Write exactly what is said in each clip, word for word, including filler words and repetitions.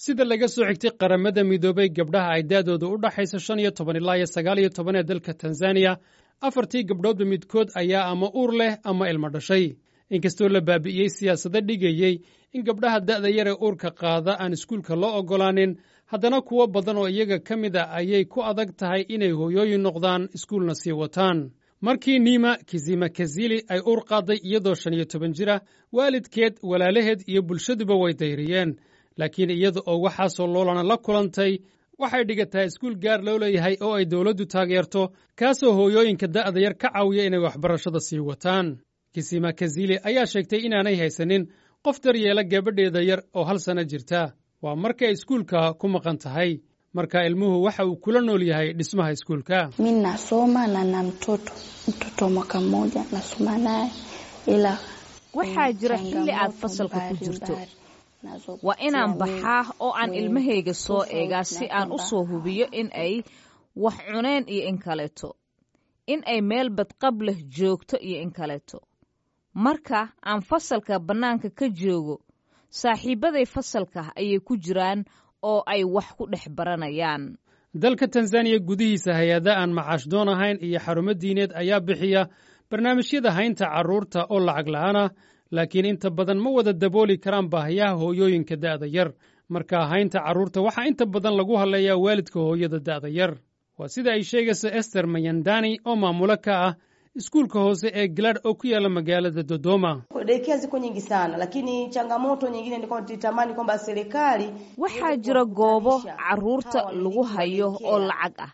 Sida laga soo xigtay Qaramada Midoobay, gabdhaha ay da'dooda u dhaxayso shan iyo toban ilaa iyo sagaal iyo toban ee dalka Tanzaniya, afartii gabdhoodba midkood ayaa ama uur leh ama ilmo dhashay. Inkastoo la baabi'iyey siyaasado dhigayey in gabdhaha da'da yar ee uurka qaada aan iskuulka loo oggolaanin, haddana kuwo badan oo iyaga ka mid a ayay ku adag tahay inay hooyooyin noqdaan, iskuulna sii wataan. Markii Nima Kisimakazili ay uur qaaday iyadoo shan iyo toban jir ah, waalidkeed, walaalaheed iyo bulshaduba way dayriyeen. Laakiin iyada oo waxaasoo loolana la kulantay, waxay dhigataa iskuul gaar loo leeyahay oo ay dowladdu taageerto, kaasoo hooyooyinka da'da yar ka caawiya inay waxbarashada sii wataan. Kisimakazili ayaa sheegtay inaanay haysanin qof daryeela gabadheeda yar oo hal sanno jirta. Waa markay iskuulka ku maqan tahay. Marka ilmuhu waxa uu kula nool yahay dhismaha iskuulka. Mi nasoma na na mtoto mtoto mwaka mmoja nasoma naye ila Waxaa jira xilli aad fasalka ku jirto, waa inaan baxaa oo aan ilmahayga soo eegaa si aan u soo hubiyo in ay wax cuneen iyo in kaleeto, in ay meel badqab leh joogto iyo in kaleeto. Marka aan fasalka bannaanka ka joogo, saaxiibbaday fasalka ayay ku jiraan oo ay wax ku dhex baranayaan. Dalka Tanzaniya gudihiisa, hay-ada aan macaash doon ahayn iyo xarumo diineed ayaa bixiya barnaamijyada haynta carruurta oo lacag la'aan ah, laakiin inta badan ma wada dabooli karaan baahiyaha hooyooyinka da'da yar. Marka haynta carruurta waxaa inta badan lagu hadlayaa waalidka hooyada da'da yar. Waa sida ay sheegayso Ester Mayandani oo maamulo ka ah iskuulka hoose ee Glad oo ku yaala magaalada Dodoma. Daycare ziko nyingi sana, lakini changamoto nyingine ni kwamba tulitamani kwamba serikali Waxaa jira goobo carruurta lagu hayo oo lacag ah,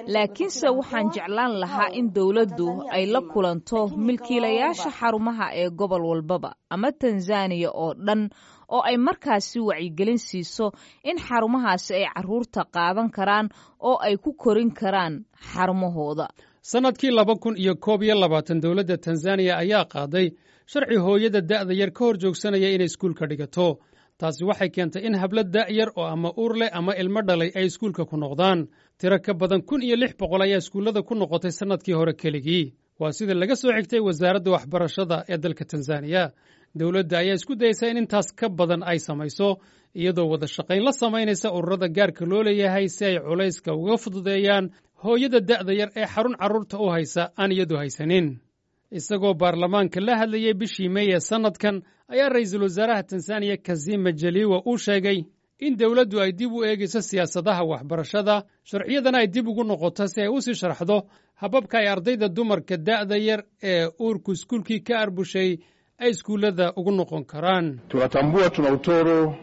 laakiinse waxaan jeclaan lahaa in dowladdu ay la kulanto milkiilayaasha xarumaha ee gobol walbaba ama Tanzaniya oo dhan, oo ay markaasi wacyigelin siiso in xarumahaasi ay carruurta qaadan karaan oo ay ku korin karaan xarumahooda. Sannadkii laba kun iyo koob iyo labaatan, dowladda Tanzaniya ayaa qaaday sharci hooyada da'da yar ka hor joogsanaya inay iskuulka dhigato. Taasi waxay keentay in hablo da'yar oo ama uur leh ama ilmo dhalay ay iskuulka ku noqdaan. Tiro ka badan kun iyo lix boqol ayaa iskuullada ku noqotay sannadkii hore keligii, waa sida laga soo xigtay wasaaradda waxbarashada ee dalka Tanzaniya. Dowladda ayaa isku dayeysa in intaas ka badan ay samayso, iyadoo wada shaqayn la samaynaysa ururada gaarka loo leeyahay, si ay culayska uga fududeeyaan hooyada da'da yar ee xarun carruurta u haysa aan iyadu haysanin. Isagoo baarlamaanka la hadlayey bishii Mey ee sannadkan, ayaa ra'iisul wasaaraha Tanzaniya Kassim Majaliwa uu sheegay in dowladdu ay dib u eegayso siyaasadaha waxbarashada, sharciyadana ay dib ugu noqoto si ay u sii sharxdo hababka ay ardayda dumarka da'da yar ee uurku iskuulkii ka arbushay ay iskuullada ugu noqon karaan. Tunatambua tuna utoro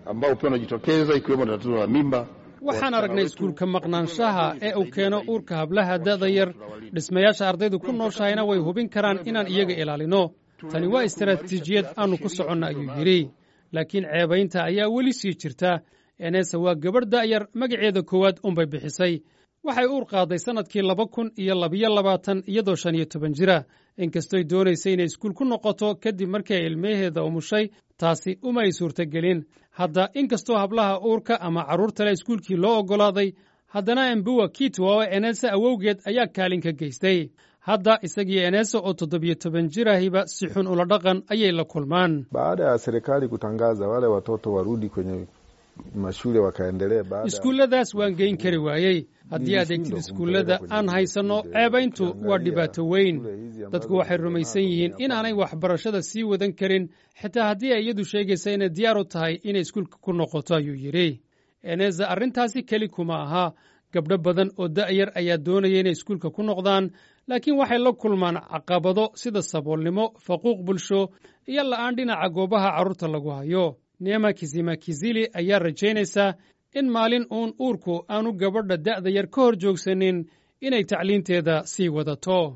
ambao pia unajitokeza, ikiwemo tatizo la mimba. Waxaan aragnay iskuulka maqnaanshaha ee uu keeno uurka hablaha da'da yar. Dhismayaasha ardaydu ku nooshahayna way hubin karaan inaan iyaga ilaalino. Tani waa istaraatiijiyad aannu ku soconna, ayuu yidhi. Laakiin ceebaynta ayaa weli sii jirta. Enesa waa gabadh da'yar, magaceeda koowaad unbay bixisay. Waxay uur qaaday sannadkii laba kun iyo labiyo labaatan iyadoo shan iyo toban jira. Inkastoy doonaysay inay iskuul ku noqoto kadib markii ay ilmaheeda umushay, taasi uma ay suurtagelin. Hadda inkastoo hablaha uurka ama carruurtale iskuulkii loo oggolaaday, haddana Embuwa Kitwa oo Enesa awowgeed ayaa kaalin ka geystay. Hadda isagiyo Enesa oo toddobiyo toban jirahiba si xun ula dhaqan ayay la kulmaan. Baada ya serikali kutangaza wale watoto warudi kwenye mashule wakaendelee baada Iskuulladaas waan geyn kari waayey. Haddii aad eegtid iskuullada aan haysanno, ceebayntu waa dhibaato weyn. Dadku waxay rumaysan yihiin inaanay waxbarashada sii wadan karin, xitaa haddii ay iyadu sheegaysa inay diyaar u tahay inay iskuulka ku noqoto, ayuu yidhi. Eneza arrintaasi keli kuma aha. Gabdho badan oo da'yar ayaa doonaya inay iskuulka ku noqdaan, laakiin waxay la kulmaan caqabado sida saboolnimo, faquuq bulsho iyo la'aan dhinaca goobaha carruurta lagu hayo. Neema Kisimakizili ayaa rajaynaysaa in maalin uun uurku aanu gabadha da'da yar ka hor joogsanin inay tacliinteeda sii wadato.